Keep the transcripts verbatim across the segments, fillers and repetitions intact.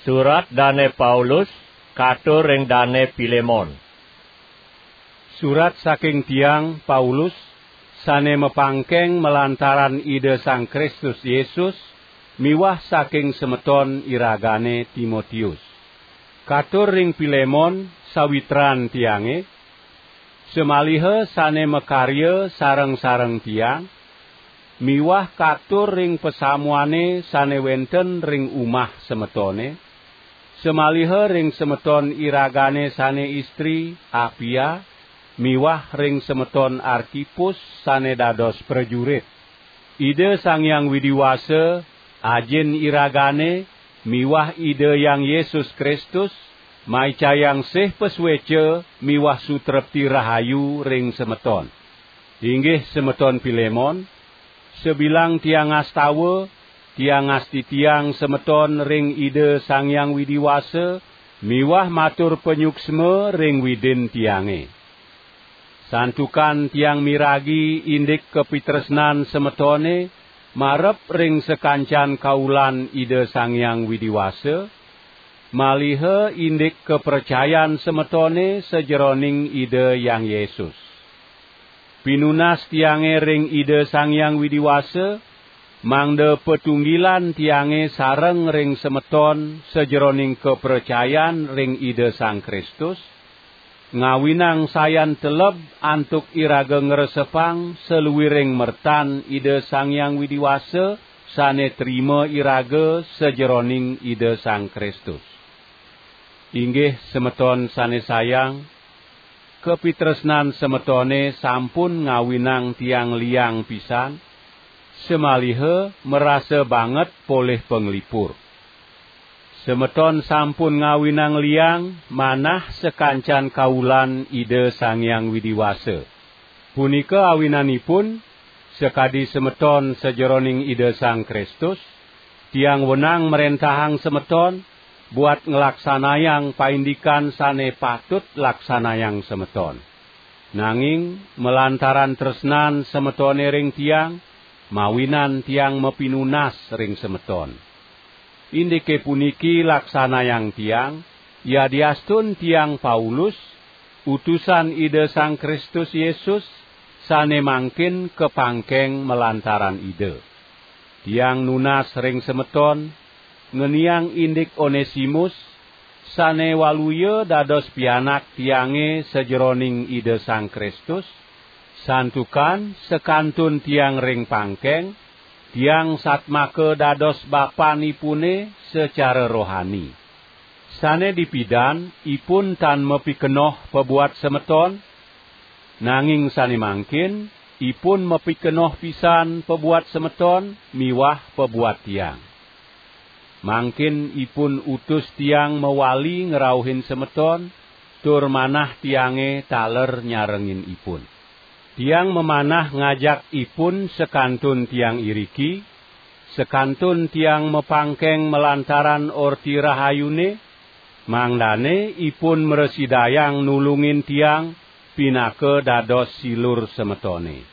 Surat Dane Paulus katur ring Dane Pilemon. Surat saking tiang, Paulus, sane mapangkeng malantaran Ida Sang Kristus Yesus, miwah saking semeton iragane Timotius. Katur ring Pilemon, sawitran tiange, samaliha sane makarya sareng-sareng tiang, miwah katur ring pasamuane sane wenten ring umah semetone, samaliha ring semeton iragane sane istri, Apia, miwah ring semeton Arkipus sane dados prajurit. Ida Sang Hyang Widi Wasa, Ajin iragane, miwah Ida Hyang Yesus Kristus, maicayang sih pasueca miwah sutrepti rahayu ring semeton. Inggih semeton Pilemon, sabilang tiang ngastawa, tiang ngastitiang semeton ring Ida Sang Hyang Widi Wasa, miwah matur panyuksma ring Widin tiange. Santukan tiang miragi indik kapitresnan semetone marep ring sakancan kaulan Ida Sang Hyang Widi Wasa, maliha indik kapracayan semetone sajeroning Ida Hyang Yesus. Pinunas tiange ring Ida Sang Hyang Widi Wasa, mangda patunggilan tiange sareng ring semeton sajeroning kapracayan ring Ida Sang Kristus, ngawinang sayan teleb antuk iraga ngresepang saluiring mertan Ida Sang Hyang Widi Wasa sane trima iraga sajeroning Ida Sang Kristus. Inggih semeton sane sayang, kapitresnan semetone sampun ngawinang tiang liang pisan, samaliha marasa banget polih panglipur. Semeton sampun ngawinang liang manah sakancan kaulan Ida Sang Hyang Widi Wasa. Punika awinanipun, sakadi semeton sajeroning Ida Sang Kristus, tiang wenang mrentahang semeton buat nglaksanayang paindikan sane patut laksanayang semeton. Nanging malantaran tresnan semetone ring tiang, mawinan tiang mapinunas ring semeton. Indike puniki laksanayang tiang, yadiastun tiang Paulus, utusan Ida Sang Kristus Yesus, sane mangkin kapangkeng malantaran Ida. Tiang nunas ring semeton, ngeniang indik Onesimus, sane waluya dados pianak tiange sajeroning Ida Sang Kristus, santukan sakantun tiang ring pangkeng, tiang satmaka dados bapanipune sacara rohani. Sane dipidan ipun tan mapikenoh pabuat semeton, nanging sane mangkin ipun mapikenoh pisan pabuat semeton miwah pabuat tiang. Mangkin ipun utus tiang mawali ngrauhin semeton, tur manah tiange taler nyarengin ipun. Tiang mamanah ngajak ipun sakantun tiang iriki, sakantun tiang mapangkeng malantaran Orti Rahayune, mangdane ipun mrasidayang nulungin tiang pinaka dados silur semetone.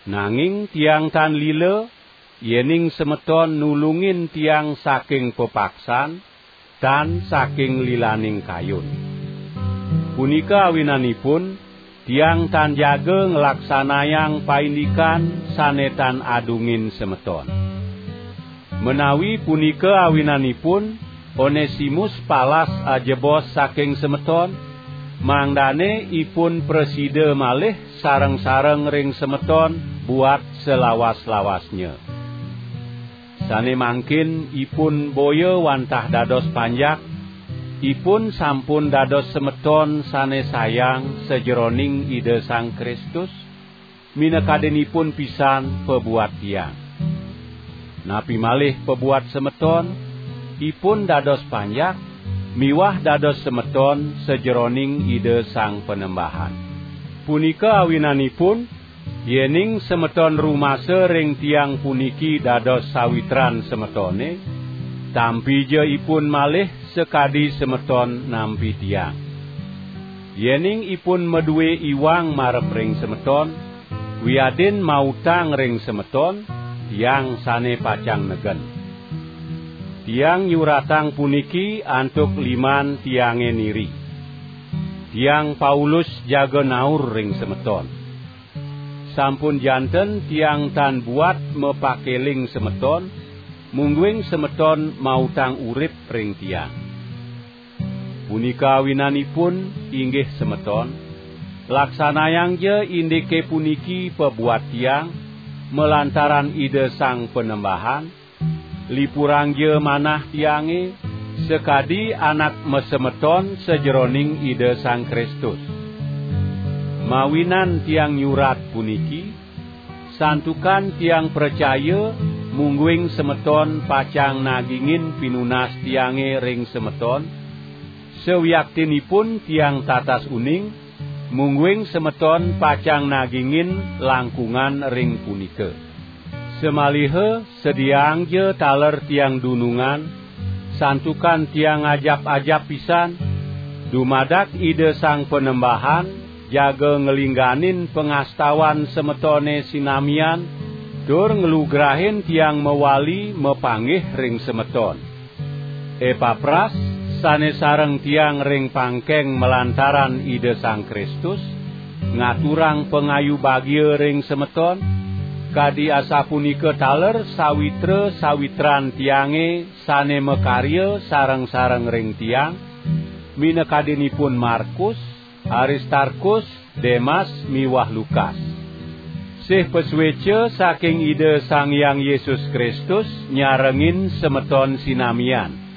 Nanging tiang tan lila, yening semeton nulungin tiang saking pepaksan, tan saking lilaning kayun. Punika awinanipun, tiang tan jaga nglaksanayang paindikan sane tan adungin semeton. Menawi punika awinanipun, Onesimus palas ajebos saking semeton, mangdane ipun prasida malih sareng-sareng ring semeton buat salawas-lawasnya. Sane mangkin ipun boya wantah dados panjak, ipun sampun dados semeton sane sayang sajeroning Ida Sang Kristus, minakadinipun pisan pabuat tiang. Napi malih pabuat semeton, ipun dados panjak, miwah dados semeton sajeroning Ida Sang Panembahan. Punika awinanipun, yening semeton rumasa ring tiang puniki dados sawitran semetone, tampija ipun malih sakadi semeton nampi tiang. Yening ipun madue iwang marep ring semeton, wiadin mautang ring semeton, tiang sane pacang negen. Tiang nyuratang puniki antuk liman tiange niri. Tiang Paulus jaga naur ring semeton. Sampun janten tiang tan buat mapakeling semeton, mungguing semeton mautang urip ring tiang. Punika awinanipun, inggih semeton, laksanayangja indike puniki pabuat tiang, malantaran Ida Sang Panembahan, lipurangja manah tiange, sakadi anak masemeton sajeroning Ida Sang Kristus. Mawinan tiang nyurat puniki, santukan tiang pracaya, mungguing semeton pacang nagingin pinunas tiange ring semeton, sawiaktinipun tiang tatas uning, mungguing semeton pacang nagingin langkungan ring punika. Samaliha sediaangja taler tiang dunungan, santukan tiang ajap-ajap pisan, dumadak Ida Sang Panembahan jaga nglingganin pangastawan semetone sinamian, tur nglugrahin tiang mawali mapanggih ring semeton. Epapras, sane sareng tiang ring pangkeng malantaran Ida Sang Kristus, ngaturang pangayu bagia ring semeton, kadi asapunika taler sawitra-sawitran tiange sane makarya sareng-sareng ring tiang, minakadinipun Markus, Aristarkus, Demas miwah Lukas. Sih pasueca saking Ida Sang Hyang Yesus Kristus nyarengin semeton sinamian.